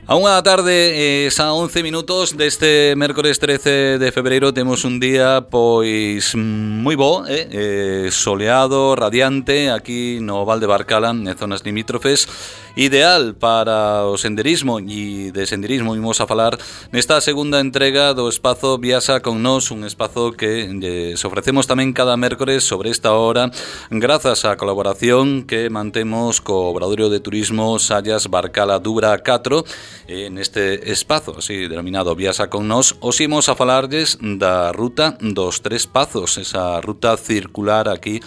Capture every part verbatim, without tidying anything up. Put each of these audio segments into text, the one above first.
A unha da tarde, eh, xa once minutos deste mércores trece de febreiro, temos un día pois moi bo, eh? Eh, soleado, radiante, aquí no Val de Barcala, en zonas limítrofes, ideal para o senderismo, e de senderismo imos a falar nesta segunda entrega do espazo Viaxa con Nós, un espazo que eh, ofrecemos tamén cada mércores sobre esta hora, grazas á colaboración que mantemos co Obradoiro de Turismo Sallas Barcala Dubra catro. En este espazo, así denominado Viaxa con Nós, os imos a falarlles da ruta dos Tres Pazos, esa ruta circular aquí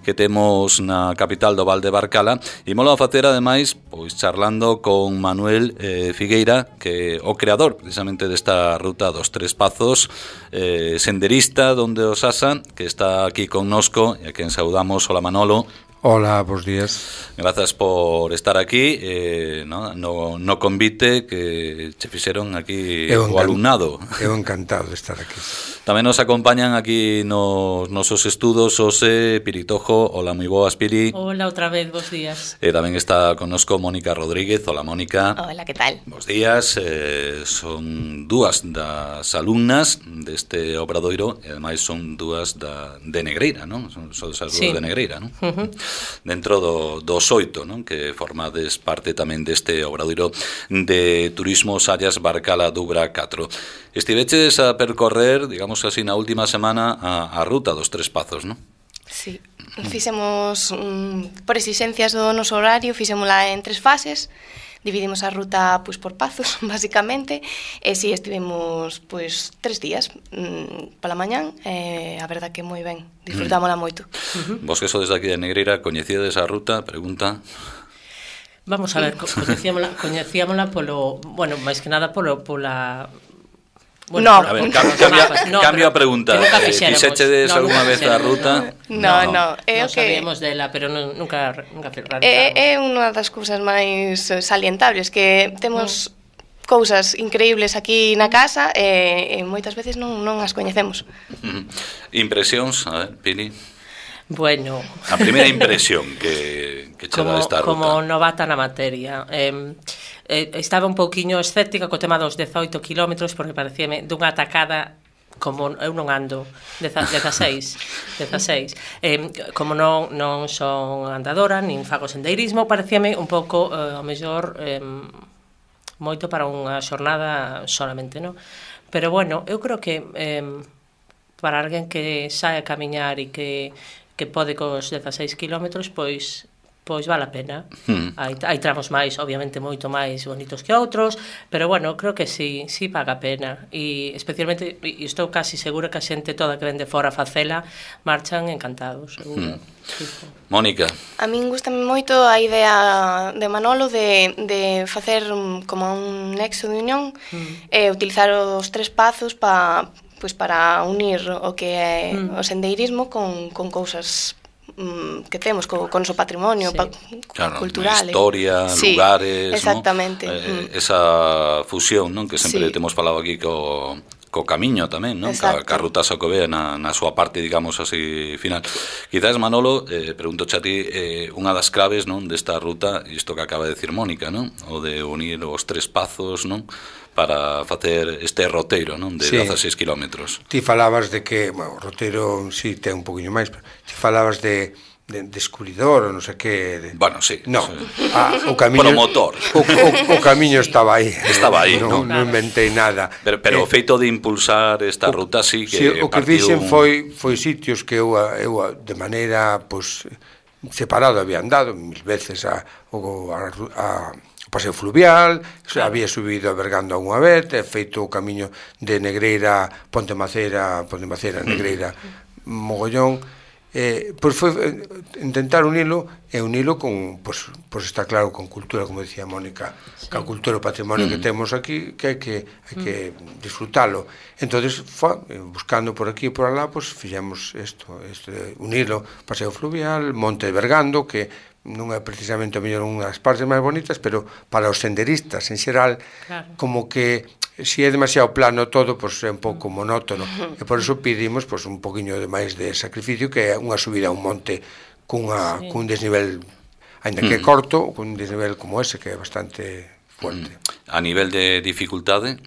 que temos na capital do Val de Barcala, e molo a facer ademais pois charlando con Manuel eh, Figueira, que é o creador precisamente desta ruta dos Tres Pazos, eh, senderista donde os asa, que está aquí connosco e a quen saudamos. Hola Manolo. Hola, bons días. Grazas por estar aquí eh, no, no, no convite que che fixeron aquí o alumnado. Eu encantado de estar aquí. Tamén nos acompañan aquí nos nosos estudos Ose Piritojo. Hola, moi boas, Piri. Hola, outra vez, bons días. E tamén está connosco Mónica Rodríguez. Hola, Mónica. Hola, que tal? Bos días. Eh, son dúas das alumnas deste obradoiro e ademais son dúas da, de Negreira, non? Son, son as dúas sí. de Negreira, non? Uh-huh. Dentro do, dos oito, non? Que formades parte tamén deste obradoiro de Turismo Sallas Barcala Dubra catro. Estiveches a percorrer, digamos así, na última semana a, a ruta dos Tres Pazos, non? Sí, fixemos, um, por exigencias do noso horario, fixémola en tres fases. Dividimos a ruta pois por pazos, basicamente, e si estivemos pois tres días mmm, pola mañán, e a verdad que moi ben, disfrutámola moito. Uh-huh. Vos que sodes daqui de Negreira, coñecíades a ruta? Pregunta. Vamos a ver, coñecíamola, coñecíamola polo, bueno, máis que nada polo pola Bueno, no, a ver, cambio, cambia, no, cambio a pregunta. Eh, Fixéchedes no, algunha vez a ruta? No, no, no, é no que sabíamos dela, pero non, nunca nunca é, é unha das cousas máis salientables, que temos mm. cousas increíbles aquí na casa e, e moitas veces non, non as coñecemos. Mm. Impresións, a ver, Pili. Bueno, a primeira impresión que, que che dá esta ruta. Como novata na materia, eh, eh, estaba un pouquiño escéptica co tema dos dezoito kilómetros, porque parecíame dunha atacada, como eu non ando dezaseis, dezaseis eh, como non, non son andadora nin fago sendeirismo, parecíame un pouco eh, ao mellor eh, moito para unha xornada solamente, non? Pero bueno, eu creo que eh, para alguén que sae a camiñar e que que pode cos dezaseis kilómetros, pois pois vale a pena. Hmm. Hai, hai tramos máis, obviamente, moito máis bonitos que outros, pero bueno, creo que sí, sí paga a pena. E especialmente, e estou casi segura que a xente toda que vende fora a facela marchan encantados, seguro. Hmm. Sí. Mónica. A min gustame moito a idea de Manolo de, de facer como un nexo de unión hmm. e utilizar os Tres Pazos pa, pues para unir o que é hmm. o sendeirismo con, con cousas que temos co, con o noso patrimonio sí. pa, claro, cultural, historia, sí, lugares, exactamente, ¿no? Eh, mm. esa fusión, non? Que sempre sí. temos falado aquí co co camiño tamén, non? Ca, ca ruta Xacobea na, na súa parte, digamos así, final. Quizás, Manolo, eh, pregunto a ti, eh, unha das claves, non, desta ruta, isto que acaba de decir Mónica, non? O de unir os Tres Pazos, non? Para facer este roteiro, non? De sí. dezaseis kilómetros. Ti falabas de que, bueno, o roteiro sí ten un poquinho máis, pero ti falabas de de descubridor ou non sei que de... Bueno, sí, no, sí. Ah, o camiño promotor o, o, o camiño estaba aí estaba aí, non, non, non inventei nada, pero, pero eh, o feito de impulsar esta o, ruta sí que sí, o que fixen un... foi, foi sitios que eu, eu de maneira pues, separado había andado mil veces a, a, a o paseo fluvial, claro. Había subido a Bergando unha vez, he feito o camiño de Negreira, Ponte Macera, Ponte Macera, Negreira, mm. mogollón. Eh, pois foi intentar unilo e unilo con, pois, pois está claro, con cultura, como decía Mónica, sí. Ca cultura e patrimonio mm. que temos aquí, que hai que, hai que mm. disfrutalo. Entonces, fa, buscando por aquí e por alá, pois fixemos isto, este, unilo, paseo fluvial, Monte de Bergando, que non é precisamente o mellor unha das partes máis bonitas, pero para os senderistas en xeral, claro. Como que se é demasiado plano todo, pois é un pouco monótono, e por iso pedimos pois un poquinho de máis de sacrificio, que é unha subida a un monte cunha, sí. cun desnivel, ainda que é corto, cun desnivel como ese, que é bastante fuerte. A nivel de dificultade,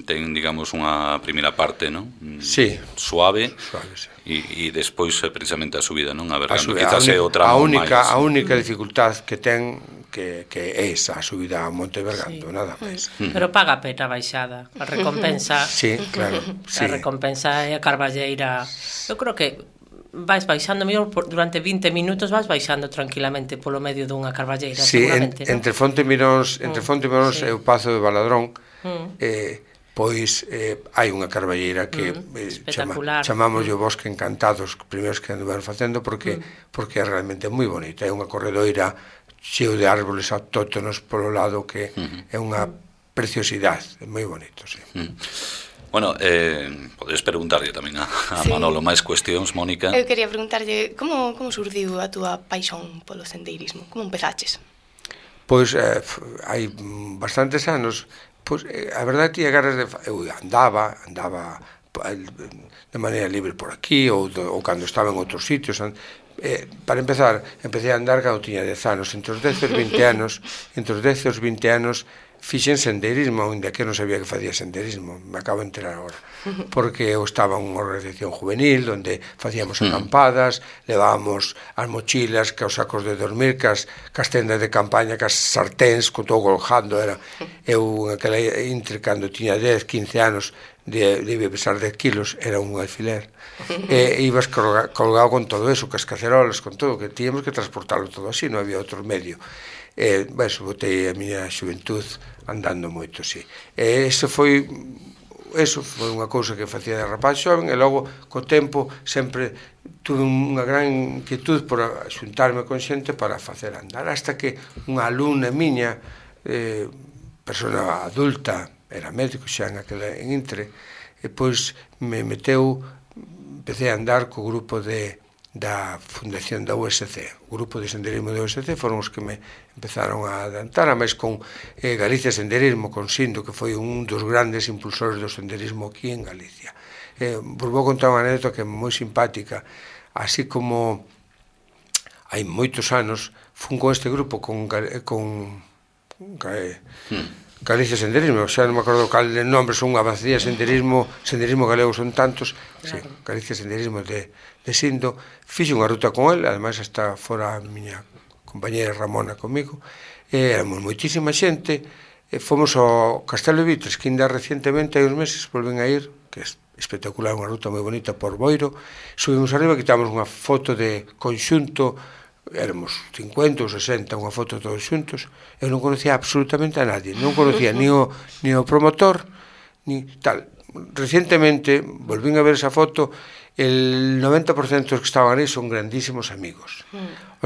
ten, digamos, unha primeira parte, non? Sí. Suave, Suave, sí. E, e despois precisamente a subida, non? A ver, A subida, quizás a, é o única, tramo a única, máis. a única dificultad que ten que, que é esa, a subida a Monte Bergando, sí. Nada máis. Pero paga a pena a baixada, a recompensa. Sí, claro. Sí. A recompensa é a Carballeira. Eu creo que vais baixando mellor durante vinte minutos, vas baixando tranquilamente polo medio dunha Carballeira, sí, seguramente, en, ¿no? entre Fonte Miróns, entre Fonte Miróns sí. e o Pazo de Baladrón, Mm. eh, pois eh, hai unha carballeira que mm, eh, chama, espectacular. chamamos mm. o Bosque Encantado, os primeiros que andaban facendo, porque mm. porque é realmente moi bonita, é unha corredoira cheo de árboles autóctonos polo lado que mm. é unha preciosidade, é moi bonito, sí. Mm. Bueno, eh, podes preguntarlle tamén a, a Sí. Manolo máis cuestións, Mónica. Eu quería preguntarlle como, como surdiu a túa paixón polo sendeirismo? Como empezaches? Pois eh, hai bastantes anos, pois eh, a verdade tiña ganas de eu andaba, andaba de maneira libre por aquí ou, do, ou cando estaba en outros sitios. Eh, para empezar, empecé a andar cando tiña dez anos. Entre os dez e os vinte anos, entre os dez e os vinte anos fixen sendeirismo, ainda que non sabía que facía sendeirismo, me acabo de enterar agora, porque eu estaba en unha organización juvenil onde facíamos acampadas, levábamos as mochilas, que os sacos de dormir, cas, cas tendas de campaña, cas sarténs, con todo colgando, era eu naquela intre, cando tiña dez, quince anos, de, debe pesar dez kilos, era un alfiler, e ibas colga, colgado con todo eso, cas cacerolas, con todo, que tíamos que transportarlo todo así, non había outro medio. E, bueno, botei a miña xuventud andando moito, sí. E eso foi, eso foi unha cousa que facía de rapaz xoven, e logo, co tempo, sempre tuve unha gran inquietud por xuntarme con xente para facer andar, hasta que unha alumna miña, eh, persona adulta, era médico xa en aquela en Intre, e pois me meteu, empecé a andar co grupo de da fundación da U S C, o grupo de senderismo da U S C foron os que me empezaron a adantar, a máis con eh, Galicia Senderismo, con Sindo, que foi un dos grandes impulsores do senderismo aquí en Galicia. Eh, vos vou contar unha anécdota que é moi simpática, así como hai moitos anos fun con este grupo con, con, con eh, hmm. Galicia Senderismo, xa non me acordo cal de nombre, son unha vacía senderismo, senderismo galego son tantos, claro. Sí, Galicia Senderismo de, de Sindo, fixe unha ruta con el, ademais hasta fora a miña compañera Ramona comigo, e éramos moitísima xente, e fomos ao Castelo de Vitres, que ainda recientemente, hai uns meses, volven a ir, que é espectacular, unha ruta moi bonita por Boiro, subimos arriba, quitamos unha foto de conxunto, éramos cincuenta ou sesenta, unha foto todos xuntos, eu non conocía absolutamente a nadie, non conocía ni o, ni o promotor, ni tal. Recientemente, volvín a ver esa foto, el noventa por cento dos que estaban aí son grandísimos amigos.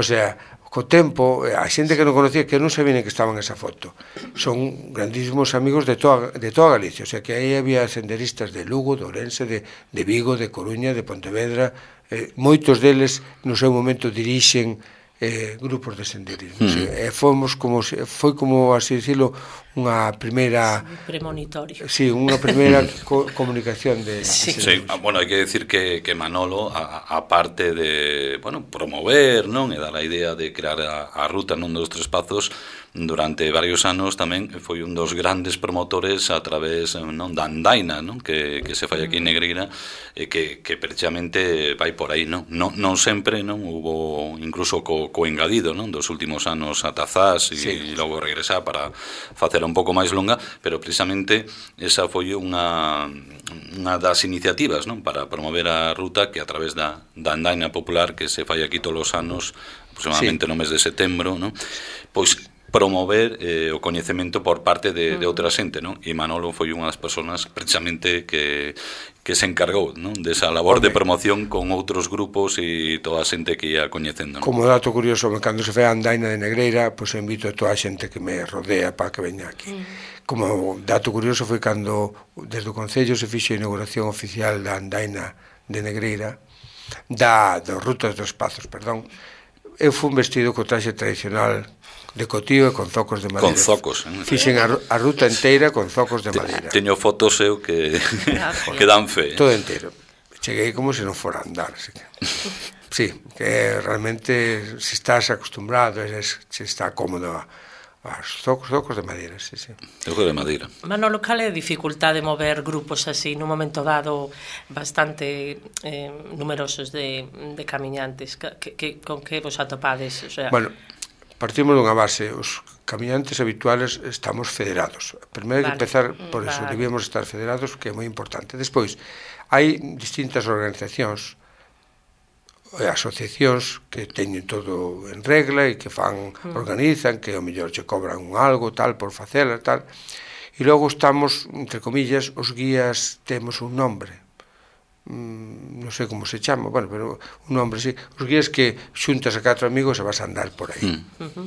O sea, co tempo, a xente que non conocía, que non sabía que estaban esa foto, son grandísimos amigos de toda, de toda Galicia, o sea, que aí había senderistas de Lugo, de Ourense, de, de Vigo, de Coruña, de Pontevedra, eh, moitos deles no seu momento dirixen eh, grupos de senderismo. Mm. Sí, e fomos como, foi como, así dicilo, unha primeira... Sí, premonitorio. Sí, unha primeira co comunicación de... Sí. Sí, bueno, hai que decir que, que Manolo, a, a parte de, bueno, promover, non, e dar a idea de crear a, a ruta nun dos tres pazos, durante varios anos tamén foi un dos grandes promotores a través, non, da andaina, non, que, que se fai aquí en Negreira, e que, que precisamente vai por aí, non, non, non sempre, non, hubo incluso co, co engadido, non, dos últimos anos a Tazás e, sí. e logo regresar para facer un pouco máis longa, pero precisamente esa foi unha unha das iniciativas, non, para promover a ruta, que a través da, da andaina popular que se fai aquí todos os anos, aproximadamente sí. no mes de setembro, non, pois promover eh, o coñecemento por parte de, de outra xente, non? E Manolo foi unha das persoas precisamente que, que se encargou, non, desa labor Home. de promoción con outros grupos e toda a xente que ia coñecendo, non? Como dato curioso, cando se fai a andaina de Negreira, pois pues, invito a toda a xente que me rodea para que veña aquí. Mm. Como dato curioso foi cando desde o Concello se fixe a inauguración oficial da andaina de Negreira, da, dos rutas dos Pazos, perdón. Eu fui vestido co traxe tradicional de cotío e con zocos de madeira. Con zocos. Eh? Fixen a, a ruta inteira con zocos de madeira. Teño fotos eu que, que dan fe. Todo entero. Cheguei como se non fora a andar. Así que... Sí, que realmente se estás acostumbrado, se está cómodo a, As zocos, zocos de madeira, sí, sí. Zocos de madeira. Manolo, cal é a dificultade de mover grupos así nun momento dado bastante eh, numerosos de, de camiñantes? Que, que, con que vos atopades? O sea... Bueno, partimos dunha base, os camiñantes habituales estamos federados. Primeiro hai que empezar por eso, vale. debíamos estar federados, que é moi importante. Despois, hai distintas organizacións, asociacións que teñen todo en regla e que fan, mm. organizan, que ao mellor che cobran un algo, tal, por facela, tal. E logo estamos, entre comillas, os guías temos un nombre. Mm, non sei como se chama, bueno, pero un nombre, sí. Os guías que xuntas a catro amigos e vas a andar por aí. Mm.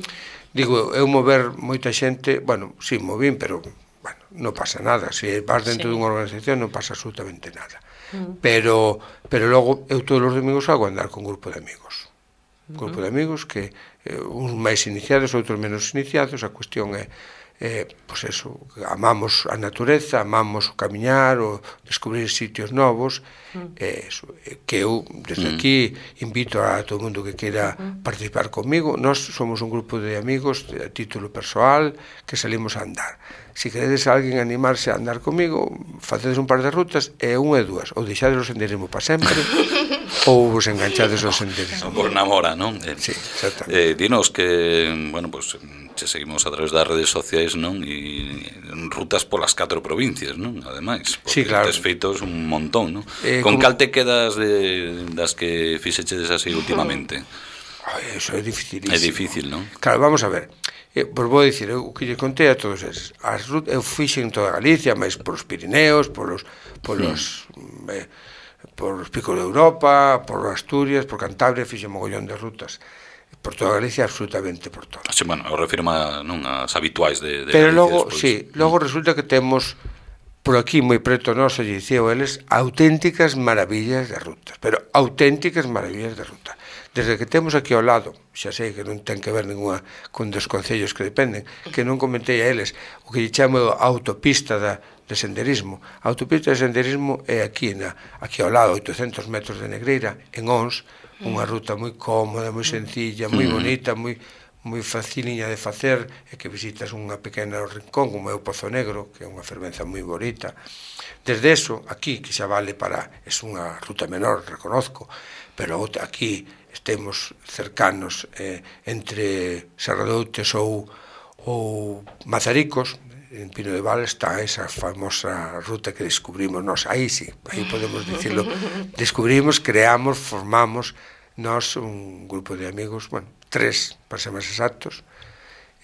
Digo, eu mover moita xente, bueno, sí, movín, pero, bueno, non pasa nada. Se vas dentro sí. dunha organización non pasa absolutamente nada. Mm. Pero, pero logo eu todos os domingos salgo a andar con un grupo de amigos. Un grupo de amigos que eh, uns máis iniciados, outros menos iniciados. A cuestión é, eh, pois eso, amamos a natureza, amamos o camiñar, o descubrir sitios novos. Mm. Eh, eso, eh, que eu, desde mm. aquí, invito a todo o mundo que queira mm. participar comigo. Nós somos un grupo de amigos a título persoal que salimos a andar. Se queredes a alguén animarse a andar comigo, facedes un par de rutas e unha e dúas, ou deixades o senderismo para sempre ou vos enganchades ao senderismo. Por namora, non? Eh, sí, exactamente. Eh, dinos que, bueno, pues che seguimos a través das redes sociais, non? E rutas polas catro provincias, non? Ademais, porque sí, claro. tes feitos un montón, non? Eh, Con como... cal te quedas de, das que fixechedes así últimamente? Ai, eso é dificilísimo. É difícil, non? Claro, vamos a ver. Eh, pois vou dicir, eu que lle contei a todos eses. As rutas, eu fixen toda Galicia, máis polos Pirineos, polos, polos, mm. eh, polos picos de Europa, por Asturias, por Cantabria, fixen mogollón de rutas. Por toda Galicia, absolutamente por todo. Sí, bueno, eu refiro a, non, as habituais de, de Pero Galicia. logo, despois. sí, logo mm. resulta que temos por aquí moi preto noso, lle dicía eles, auténticas maravillas de rutas, pero auténticas maravillas de rutas. Desde que temos aquí ao lado, xa sei que non ten que ver ninguna con dos concellos que dependen, que non comentei a eles, o que lle chamo a autopista da, de senderismo. A autopista de senderismo é aquí, na, aquí ao lado, oitocentos metros de Negreira, en Ons, unha ruta moi cómoda, moi sencilla, moi bonita, moi moi faciliña de facer, e que visitas unha pequena rincón como é o Pozo Negro, que é unha fervenza moi bonita. Desde eso, aquí, que xa vale para, é unha ruta menor, reconozco, pero aquí estemos cercanos eh, entre Serradoutes ou, ou Mazaricos, en Pino de Val está esa famosa ruta que descubrimos nós, aí sí, aí podemos dicirlo, descubrimos, creamos, formamos nós un grupo de amigos, bueno, tres, para ser máis exactos,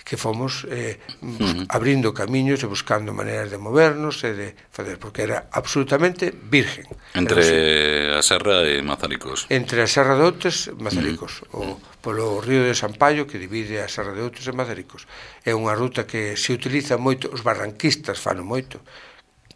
que fomos eh, uh-huh. abrindo camiños e buscando maneiras de movernos e de fazer, porque era absolutamente virgen. Entre a Serra e Mazaricos. Entre a Serra de Outes e Mazaricos, uh-huh. o polo río de Sampaio que divide a Serra de Outes e Mazaricos. É unha ruta que se utiliza moito, os barranquistas fano moito,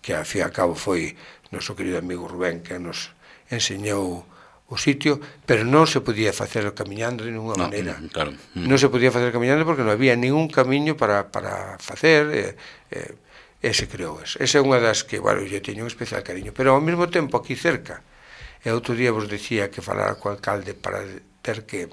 que a fin e a cabo foi noso querido amigo Rubén que nos enseñou o sitio, pero non se podía facer camiñando de ninguna no, maneira. Claro. Non se podía facer camiñando porque non había ningún camiño para, para facer, e, e, e se creou eso. Esa é unha das que, bueno, eu teño un especial cariño, pero ao mesmo tempo aquí cerca, e outro día vos decía que falara co alcalde para ter que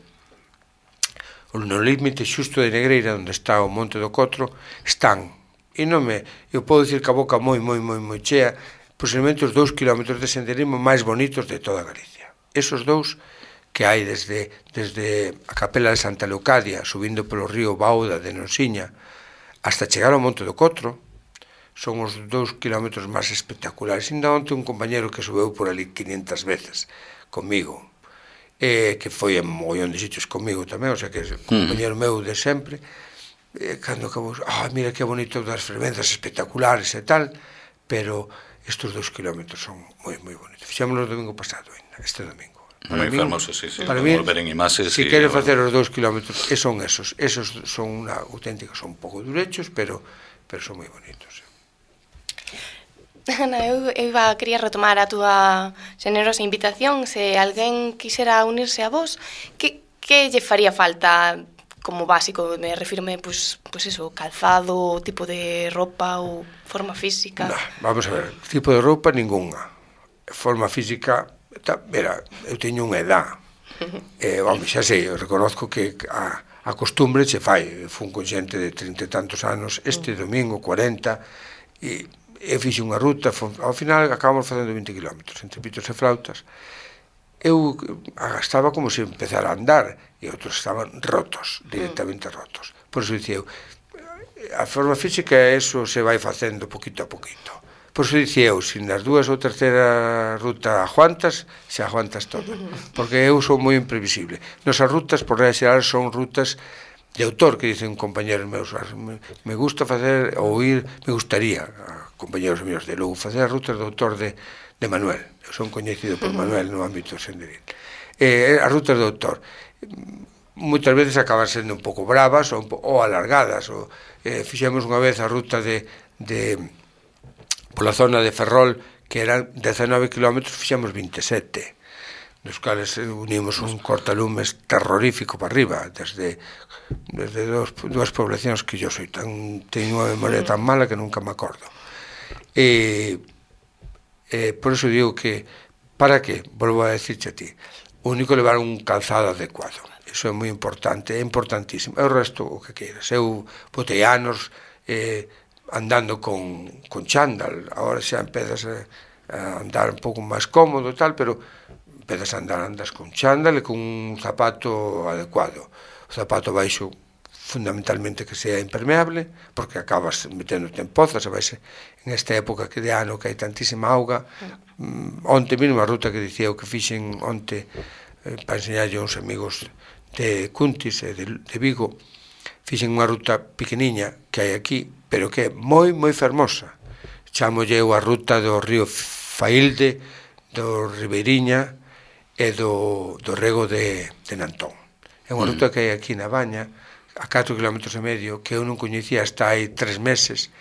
no límite xusto de Negreira, onde está o Monte do Cotro, están, e non me, eu podo dicir que a boca moi, moi, moi, moi chea, posiblemente os dous kilómetros de senderismo máis bonitos de toda Galicia. Esos dous que hai desde, desde a capela de Santa Leucadia, subindo polo río Bauda de Nonsiña, hasta chegar ao Monte do Cotro, son os dous kilómetros máis espectaculares. Ainda onte un compañero que subeu por ali quinientas veces comigo, eh, que foi en mogollón de sitios comigo tamén, o sea que é un compañero meu de sempre, eh, cando acabou, ah, mira que bonito das fervenzas espectaculares e tal, pero estes dous kilómetros son moi, moi bonitos. Fixámoslo o domingo pasado, este domingo. Moi fermoso, sí, sí. Para mí, volver en imaxes. Si queres facer os dous kilómetros, e son esos, esos son unha auténtica, son un pouco durechos, pero, pero son moi bonitos. Ana, eu, eu iba, quería retomar a túa generosa invitación. Se alguén quixera unirse a vos, que, que lle faría falta como básico? Me refirme, pues, pues eso, calzado, tipo de ropa ou forma física. No, vamos a ver, tipo de roupa ningunha. Forma física, ta, mira, eu teño unha edad. Eh, vamos, xa sei, eu reconozco que a, a costumbre che fai. Fun con xente de trinta e tantos anos este domingo, cuarenta, e eu fixe unha ruta, ao final acabamos facendo vinte kilómetros entre pitos e flautas. Eu estaba como se empezara a andar e outros estaban rotos, directamente rotos. Por iso dicía eu, a forma física eso se vai facendo poquito a poquito. Por iso dicía eu, se nas dúas ou terceira ruta aguantas, se aguantas todo. Porque eu sou moi imprevisible. Nosas rutas, por regla xeral, son rutas de autor, que dicen compañeros meus. Me gusta facer, ou ir, me gustaría, compañeros meus de Lugo, facer as rutas de autor de, de Manuel. Eu son coñecido por Manuel no ámbito senderil. Eh, as rutas de autor moitas veces acaban sendo un pouco bravas ou, ou alargadas. Ou, eh, fixemos unha vez a ruta de... de pola zona de Ferrol, que eran dezanove kilómetros, fixemos vinte e sete, nos cales unimos un cortalumes terrorífico para arriba, desde, desde dos, dúas poblacións que yo soy tan, teño unha memoria tan mala que nunca me acordo. E, e por iso digo que, para que, volvo a decirche a ti, o único levar un calzado adecuado, iso é moi importante, é importantísimo, e o resto o que queiras. Eu botei anos, eh, andando con, con chándal, agora xa empezas a, a andar un pouco máis cómodo e tal, pero empezas a andar, andas con chándal e con un zapato adecuado. O zapato baixo fundamentalmente que sea impermeable, porque acabas meténdote en pozas, e vais en esta época que de ano que hai tantísima auga. Mm, onte mesmo a ruta que dicía eu que fixen onte eh, para enseñarlle a uns amigos de Cuntis e de, de Vigo, fixen unha ruta pequeniña que hai aquí, pero que é moi, moi fermosa. Chámolle eu a ruta do río Failde, do Ribeiriña e do, do rego de, de Nantón. É unha ruta que hai aquí na Baña, a catro kilómetros e medio, que eu non coñecía hasta hai tres meses,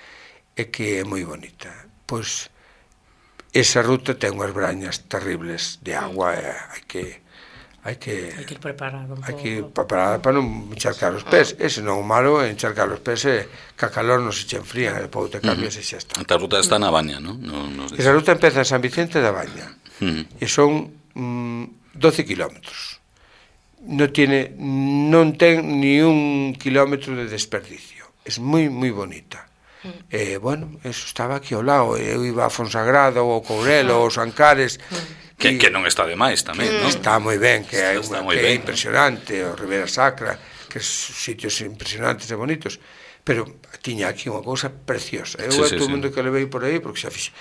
e que é moi bonita. Pois, esa ruta ten unhas brañas terribles de agua, e hai que... hai que hai que ir preparado un hai que ir pouco. preparada para non encharcar os pés. Ese non o malo é encharcar os pés e que a calor non se che enfrían e depois te cambias e xa está. Esta ruta está na Baña, non? No, nos Esa ruta empeza en San Vicente da Baña uh-huh. e son mm, doce kilómetros. Non tiene, non ten ni un kilómetro de desperdicio. É moi, moi bonita. Mm. E, bueno, eso estaba aquí ao lado. Eu iba a Fonsagrada ou ao Courelo ou aos Ancares. Mm. Que, que non está de máis tamén, non? Está moi ben, que é está unha moi que é ben, impresionante, o Ribera Sacra, que son sitios impresionantes e bonitos, pero tiña aquí unha cousa preciosa. Eu sí, a sí, todo o sí. mundo que levei por aí, porque xa fixe,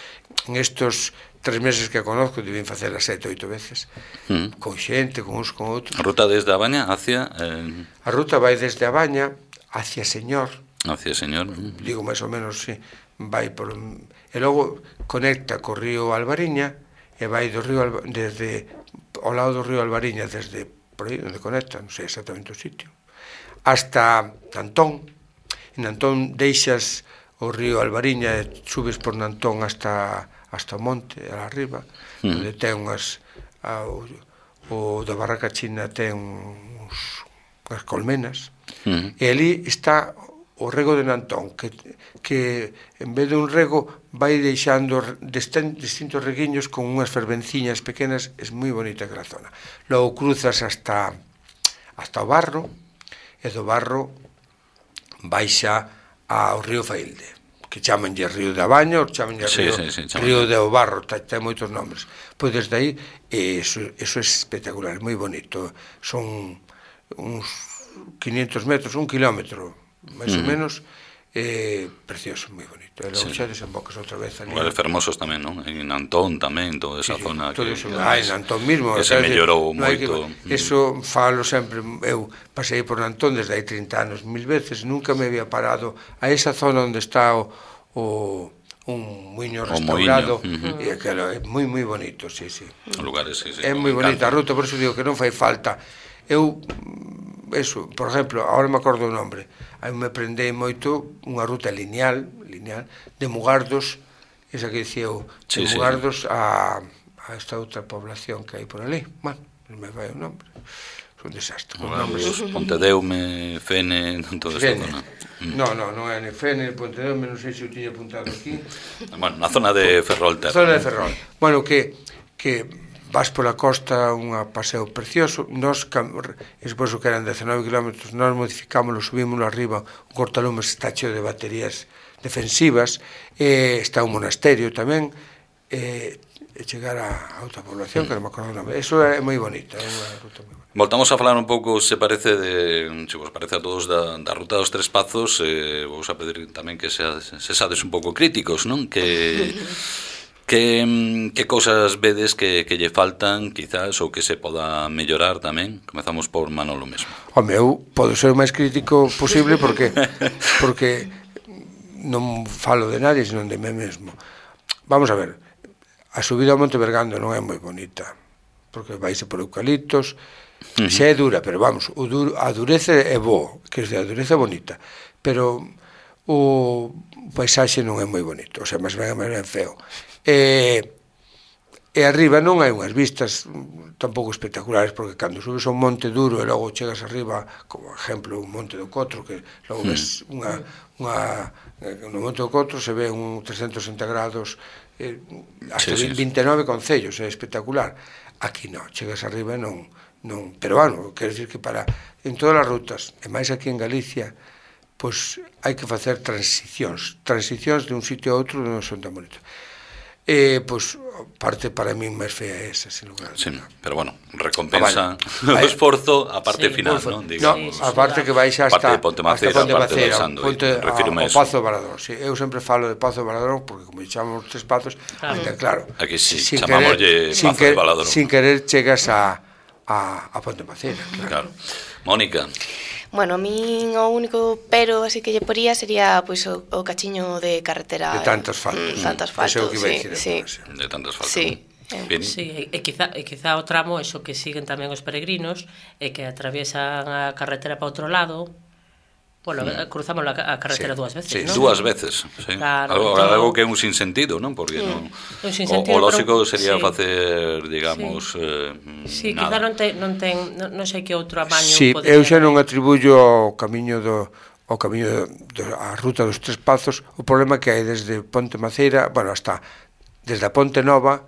en estos tres meses que conozco, deben facela sete, oito veces, mm. con xente, con uns, con outros. A ruta desde a Baña hacia... Eh... A ruta vai desde a Baña hacia Señor. Hacia Señor. Digo, máis ou menos, sí, vai por... E logo conecta co río Albariña, e vai do río Alba, desde ao lado do río Albariña, desde por aí onde conecta, non sei exactamente o sitio, hasta Nantón. En Nantón deixas o río Albariña e subes por Nantón hasta hasta o monte, arriba, mm. onde ten unhas a, o, o da Barraca China ten uns, unhas colmenas, mm. e ali está o rego de Nantón, que, que en vez de un rego vai deixando distintos reguiños con unhas fervenciñas pequenas. É moi bonita aquela zona. Logo cruzas hasta hasta o Barro, e do Barro baixa ao río Failde, que chamanlle Río da Baña, ou chamanlle sí, Río, sí, sí, Río de Barro, ten moitos nombres. Pois desde aí, eso, eso é espectacular, moi bonito. Son uns quinientos metros, un kilómetro, máis ou menos, eh, precioso, moi bonito. E logo sí. xa desembocas outra vez ali. Lugares fermosos tamén, non? En Nantón tamén, toda esa sí, zona todo que... eso, ah, en Nantón mismo. Que se mellorou no moito. Que, eso falo sempre, eu pasei por Nantón desde hai trinta anos, mil veces, nunca me había parado a esa zona onde está o, o un muiño restaurado, uh-huh. e aquilo é moi moi bonito, sí, sí. Lugares, sí, sí. É moi bonita a ruta, por eso digo que non fai falta. Eu, eso, por exemplo, agora me acordo o nombre, aí me prendei moito unha ruta lineal, lineal de Mugardos, esa que dicía eu, de sí, Mugardos sí. a, a esta outra población que hai por ali. Bueno, non me vai o nombre. Un desastre. Mugardos, Pontedeume, Fene, todo eso, non? No, no, non é ni Fene, ni Pontedeume, non sei se o tiña apuntado aquí. Bueno, na zona de Ferrol. Na zona de Ferrol. Bueno, que, que vas pola costa, un paseo precioso. Nós, despois o que eran dezanove kilómetros, nós modificámoslo, subímoslo arriba, un cortalumes está cheo de baterías defensivas, e está un monasterio tamén, e chegar a outra población, que non me acordo o nome. Eso é moi bonito, é unha ruta moi bonita. Voltamos a falar un pouco, se parece, de, se vos parece a todos, da, da ruta dos Tres Pazos. eh, vos a pedir tamén que se, se sades un pouco críticos, non? Que... Que, que cousas vedes que, que lle faltan, quizás, ou que se poda mellorar tamén? Comezamos por Manolo mesmo. Home, eu podo ser o máis crítico posible porque porque non falo de nadie, senón de mí mesmo. Vamos a ver, a subida ao Monte Bergando non é moi bonita, porque vaise por eucaliptos, uh-huh. xa é dura, pero vamos, o duro, a dureza é bo, que é a dureza bonita, pero o paisaxe non é moi bonito, o sea, máis ben, máis ben feo. E, e arriba non hai unhas vistas tampouco espectaculares, porque cando subes a un monte duro e logo chegas arriba, como exemplo un monte do Cotro, que logo ves unha, unha no monte do Cotro se ve un trescentos sesenta grados, eh, hasta sí, sí, vinte e nove concellos, é espectacular. Aquí non, chegas arriba e non, non, pero bueno, quero dicir que para en todas as rutas, e máis aquí en Galicia, pois hai que facer transicións, transicións de un sitio a outro non son tan bonitos. Eh, pois parte para mí máis fea é esa, sin lugar. Sí, pero bueno, recompensa ah, vale. o esforzo a parte sí, final, non? Digamos. No, a parte que vais hasta parte de Ponte Macera, hasta Ponte Macera, Ponte, a, o Pazo do Varador. Sí, eu sempre falo de Pazo do Varador porque como chamamos Tres Pazos, claro. Ainda claro. Aquí sí, chamámoslle Pazo do Varador. Sin querer chegas a a a Ponte Macera, Claro. claro. Mónica. Bueno, a min o único pero así que lle poría sería pois o, o cachiño de carretera. De tantos faltos. Mm, tantos faltos, sí, sí. De tantos faltos. Sí. Eh. Sí, e quizá, e quizá o tramo, eso que siguen tamén os peregrinos, e que atraviesan a carretera para outro lado. Bueno, mm. cruzamos a carretera sí. dúas veces, sí, ¿no? Dúas veces, sí. Claro, algo, todo... algo que é un sinsentido, non? Porque mm. non o, o lógico sería sí. facer, digamos, sí, eh, sí nada. quizá non, te, non ten, non, non sei que outro amaño sí, podría... eu xa non atribuyo o camiño do o camiño do, a ruta dos Tres Pazos, o problema que hai desde Ponte Macera, bueno, hasta desde a Ponte Nova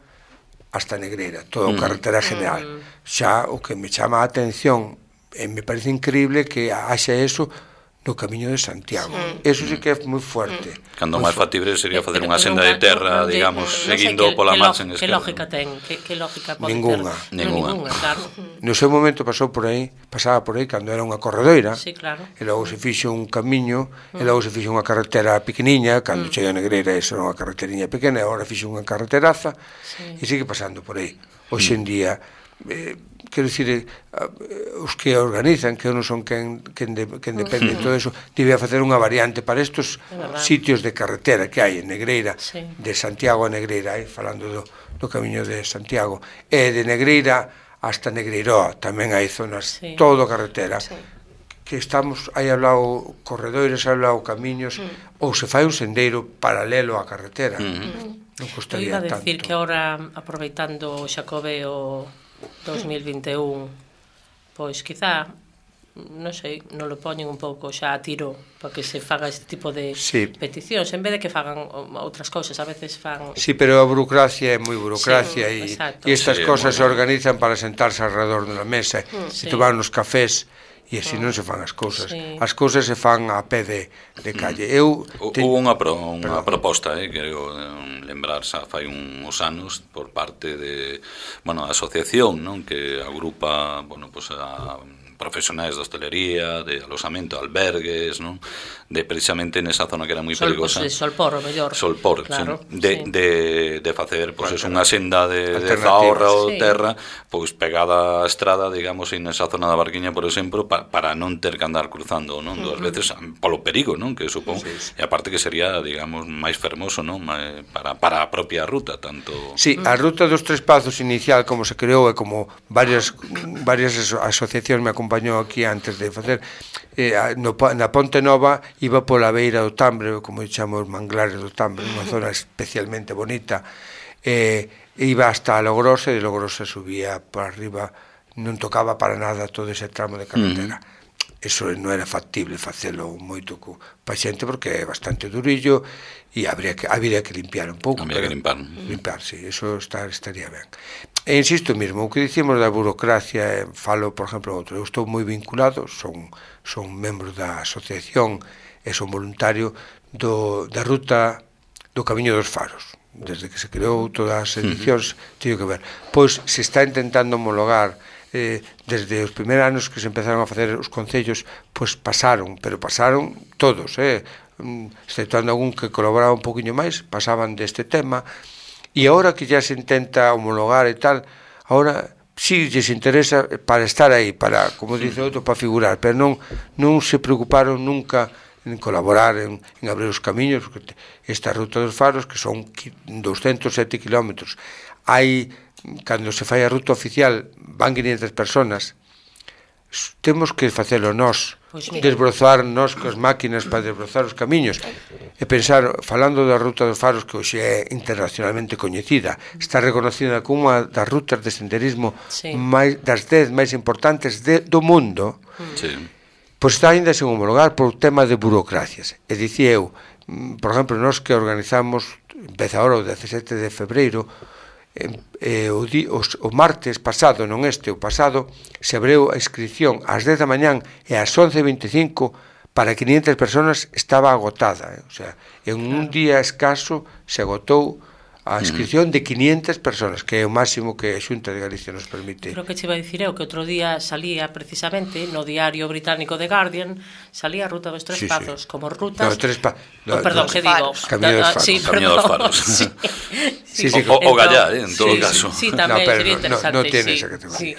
hasta Negreira, toda a mm. carretera general. Mm. Xa o que me chama a atención e me parece increíble que haxa eso no camiño de Santiago. Sí. Eso sí que é moi fuerte. Cando máis factible sería facer unha senda de terra, digamos, seguindo pola marcha en esquerda. Que lógica ten? Que lógica pode ter? Ninguna. Ninguna, claro. No seu momento pasou por aí, pasaba por aí cando era unha corredoira. Sí, claro. E logo se fixo un camiño, e logo se fixo unha carretera pequeniña, cando chega a Negreira, eso era unha carreteriña pequena, e agora fixo unha carreteraza, e sigue pasando por aí. Hoxe en día, eh, quero dicir, os que organizan, que non son quen, quen, de, quen depende de todo eso, debe facer unha variante para estos sitios de carretera que hai en Negreira, sí. de Santiago a Negreira, eh, falando do, do camiño de Santiago, e de Negreira hasta Negreiroa, tamén hai zonas, sí. todo carretera, sí. que estamos, hai hablado corredores, hai hablado camiños, mm. ou se fai un sendeiro paralelo á carretera, mm. non costaría tanto. Eu iba a decir que ahora, aproveitando o Xacobeo dos mil vinte e un, pois quizá, non sei, non lo poñen un pouco xa a tiro para que se faga este tipo de sí. peticións, en vez de que fagan outras cousas, a veces fan... Sí, pero a burocracia é moi burocracia sí, e estas sí, cosas se organizan para sentarse alrededor dunha mesa mm, e sí. tomar uns cafés e así non se fan as cousas. Sí. As cousas se fan a pé de, de calle. Eu te... Hubo unha, pro, unha proposta, eh, quero lembrar, xa fai uns anos, por parte de, bueno, a asociación, non, que agrupa, bueno, pues a profesionais de hostelería, de alosamento, albergues, non? De precisamente nesa zona que era moi perigosa. Pues, Solpor, o mellor. Solpor, claro, sí. De, sí. de, de facer, pois, pues, unha senda de, de zaorra ou sí. terra, pois, pegada á estrada, digamos, en esa zona da Barquiña, por exemplo, pa, para non ter que andar cruzando, non? Duas uh-huh. veces, polo perigo, non? Que supón, sí, sí. e aparte que sería, digamos, máis fermoso, non? Para, para a propia ruta, tanto... Sí, a ruta dos Tres Pazos inicial, como se creou, e como varias, varias asociacións me acompañou aquí antes de facer, eh, no, na Ponte Nova iba pola beira do Tambre, como chamo os manglares do Tambre, unha zona especialmente bonita, eh, iba hasta Logrosa, e de Logrosa subía por arriba, non tocaba para nada todo ese tramo de carretera. Uh-huh. eso non era factible facelo moito co pa xente porque é bastante durillo e habría que, habría que limpiar un pouco. Habría que limpar. Limpar, sí, eso está, estaría ben. E insisto mesmo, o que dicimos da burocracia, eh, falo, por exemplo, outro, eu estou moi vinculado, son, son membro da asociación e son voluntario do, da ruta do Camiño dos Faros. Desde que se creou todas as edicións, teño que ver. Pois se está intentando homologar Eh, desde os primeiros anos que se empezaron a facer os concellos, pois pasaron, pero pasaron todos, eh, exceptuando algún que colaboraba un poquinho máis, pasaban deste tema, e agora que ya se intenta homologar e tal, agora sí lles interesa para estar aí, para, como dice outro, para figurar, pero non, non se preocuparon nunca en colaborar, en, en abrir os camiños, porque esta ruta dos Faros, que son doscientos sete kilómetros, hai, cando se fai a ruta oficial, van quinientas personas, temos que facelo nós, pues desbrozar nós coas máquinas para desbrozar os camiños, e pensar, falando da ruta dos Faros, que hoxe é internacionalmente coñecida, está reconocida como unha das rutas de senderismo sí. máis, das dez máis importantes de, do mundo, sí. pois está ainda sen homologar por tema de burocracias. E dicía eu, por exemplo, nós que organizamos, empeza ahora o dezasete de febreiro, Eh, o, di, os, o martes pasado, non este, o pasado, se abriu a inscripción ás dez da mañán e ás once e veinticinco para quinientas personas estaba agotada, eh? O sea, en un día escaso se agotou a inscripción de quinientas personas, que é o máximo que a Xunta de Galicia nos permite. Creo que che iba a dicir eu que outro día salía precisamente no diario británico The Guardian, salía a ruta dos tres sí, pazos, sí. como rutas... No, tres pa... no, oh, perdón, que digo? Camiño dos Faros. Sí, Camiño dos Faros. sí. Sí, sí, o, o Gallá, eh, en todo sí, caso. Sí, sí tamén, no, pero sería interesante. No, no tiene sí, esa categoría. Sí.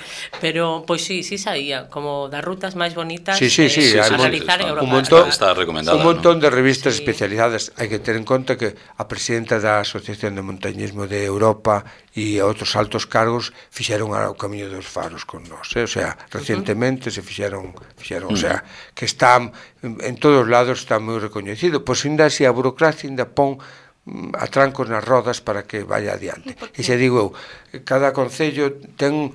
Pero, pois pues, sí, sí saía, como das rutas máis bonitas sí, sí, sí, eh, a realizar en Europa. Un montón, está recomendada, un montón ¿no? de revistas sí. especializadas. Hai que ter en conta que a presidenta da Asociación de Montañismo de Europa e outros altos cargos fixeron o Camiño dos Faros con nós, eh? O sea, recientemente uh -huh. se fixeron, fixeron, uh -huh. o sea, que están en todos os lados, está moi recoñecido. Pois ainda así a burocracia ainda pon a trancos nas rodas para que vaya adiante. E se digo eu, cada concello ten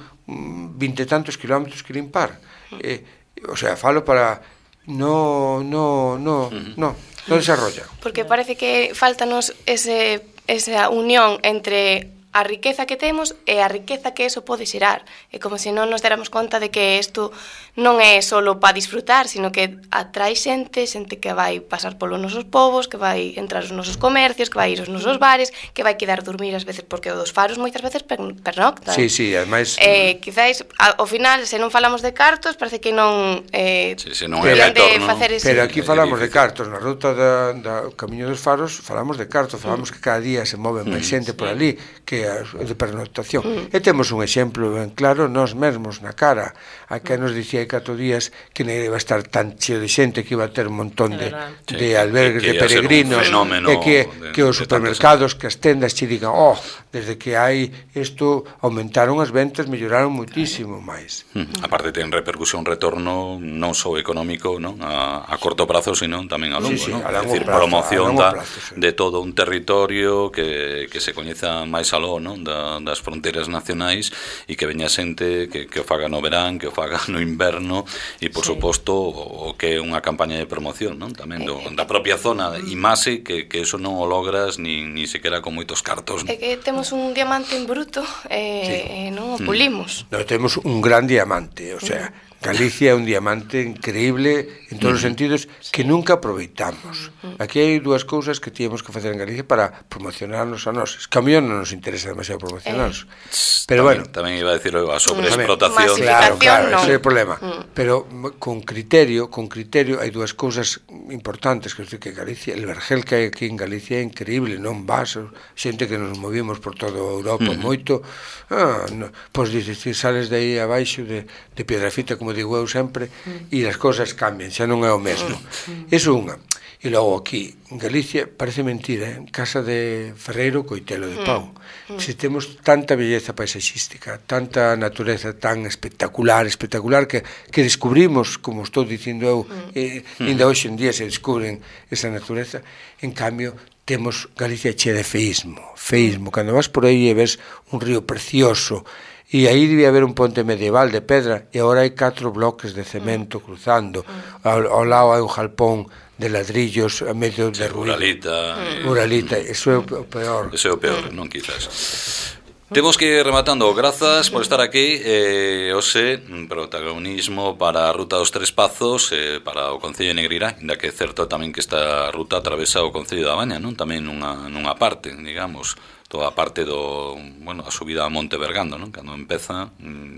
vinte e tantos kilómetros que limpar. Eh, o sea, falo para no, no, no, no, no desarrolla. Porque parece que faltanos ese, esa unión entre a riqueza que temos e a riqueza que eso pode xerar. É como se non nos deramos conta de que isto non é solo para disfrutar, sino que atrai xente, xente que vai pasar polos nosos povos, que vai entrar aos nosos comercios, que vai ir aos nosos bares, que vai quedar dormir ás veces, porque o dos Faros moitas veces pernoctan. Sí, sí, ademais... Eh, quizáis, ao final, se non falamos de cartos, parece que non... Eh, sí, sí, non é retorno. Ese... Pero aquí falamos de cartos, na ruta da, da Camiño dos Faros falamos de cartos, falamos mm. que cada día se move máis xente mm. por ali, que de pernoctación. Mm. E temos un exemplo ben claro, nós mesmos na cara, a que nos dicía hai catro días que non iba a estar tan cheo de xente, que iba a ter un montón de, sí, de albergues de peregrinos, e que, de, que os supermercados, que as tendas che digan, oh, desde que hai isto aumentaron as ventas, melloraron muitísimo máis. Mm. Aparte ten repercusión retorno non só económico, non? A, a corto prazo, sino tamén a longo, sí, sí, non? A é dicir, prazo, promoción da, plazo, sí. de todo un territorio que, que se coñeza máis aló, non? Da, das fronteiras nacionais, e que veña xente que, que o faga no verán, que o faga no inverno, e por sí. suposto o, o que é unha campaña de promoción, non? Tamén do, da propia zona Imase, que, que eso non o logras ni, ni sequera con moitos cartos, non? É que temos un diamante en bruto e sí. eh, non o pulimos. Mm. No, temos un gran diamante, o sea, Galicia é un diamante increíble en todos os sentidos que nunca aproveitamos. Aquí hai dúas cousas que tíamos que facer en Galicia para promocionarnos a nós. Es que a mí non nos interesa demasiado promocionarnos. Eh. Pero tamén, bueno, tamén iba a decir a sobreexplotación. Claro, claro, no. ese é o problema. Mm. Pero con criterio, con criterio hai dúas cousas importantes, que é que Galicia, el vergel que hai aquí en Galicia é increíble, non vas, xente que nos movimos por toda Europa mm. moito, ah, no, pois dices, si sales de aí abaixo de, de Piedrafita, como digo eu sempre, mm. e as cousas cambian, xa non é o mesmo. Mm. Iso unha. E logo aquí, en Galicia, parece mentira, eh? En casa de Ferreiro, Coitelo de Pau. Mm. Se temos tanta belleza paisaxística, tanta natureza tan espectacular, espectacular, que, que descubrimos, como estou dicindo eu, mm. eh, ainda hoxe en día se descubren esa natureza, en cambio, temos Galicia che de feísmo, feísmo, cando vas por aí e ves un río precioso, e aí debía haber un ponte medieval de pedra, e agora hai catro bloques de cemento cruzando, ao, ao lado hai un jalpón de ladrillos a medio de ruído. Uralita. Uralita, eso é o peor. Eso é o peor, non quizás. Temos que ir rematando. Grazas por estar aquí. Eh, hoxe, protagonismo para a Ruta dos Tres Pazos, eh, para o Concello de Negreira, ainda que é certo tamén que esta ruta atravesa o Concello da Baña, non? Tamén nunha, nunha parte, digamos, toda a parte do, bueno, a subida a Monte Bergando, non? Cando empeza,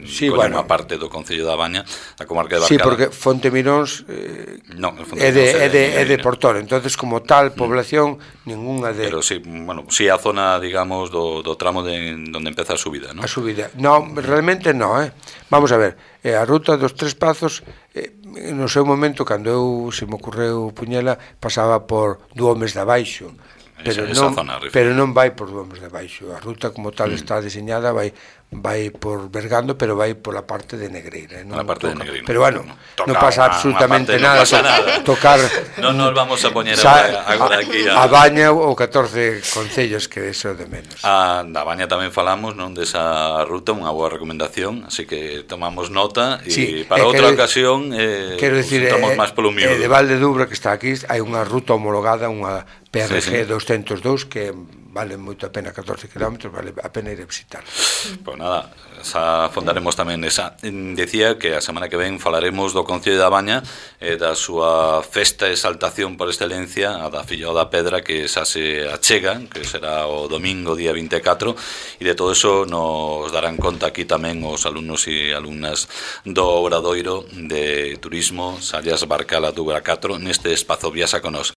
sí, con bueno, unha parte do Concello da Baña, a comarca de Barcala. Sí, porque Fontemiróns eh, no, é de, é de, é de Portor, entonces como tal población mm. ninguna de... Pero sí, bueno, sí a zona, digamos, do, do tramo de onde empeza a subida, non? A subida. No, realmente no, eh. Vamos a ver, eh, a Ruta dos Tres Pazos, eh, no seu momento, cando eu, se me ocorreu puñela, pasaba por Duomes de Abaixo, pero esa, non, esa zona, pero non vai por Duomes de Baixo. A ruta como tal mm. está diseñada, vai vai por Bergando, pero vai pola parte de Negreira, non a parte toca. de Negreira. Pero bueno, Toca non pasa una, absolutamente una nada, no pasa nada. Tocar non nos vamos a poñer xa, agora aquí a, a Baña ou catorce concellos, que eso de menos. A da Baña tamén falamos, non, desa ruta, unha boa recomendación, así que tomamos nota e sí, para eh, outra quero, ocasión eh, quero decir, estamos eh, máis polo miúdo. Eh, de Valdedubra, que está aquí, hai unha ruta homologada, unha P R G sí, sí. doscientos dous, que vale moito a pena, catorce kilómetros, vale a pena ir a visitar. Pois nada, xa fondaremos tamén esa. Decía que a semana que ven falaremos do Concello da Baña e da súa festa e exaltación por excelencia, a da Filloa da Pedra, que xa se achega, que será o domingo día vinte e catro, e de todo eso nos darán conta aquí tamén os alumnos e alumnas do Obradoiro de Turismo Sallas Barcala Dubra catro neste espazo Viaxa con Nos.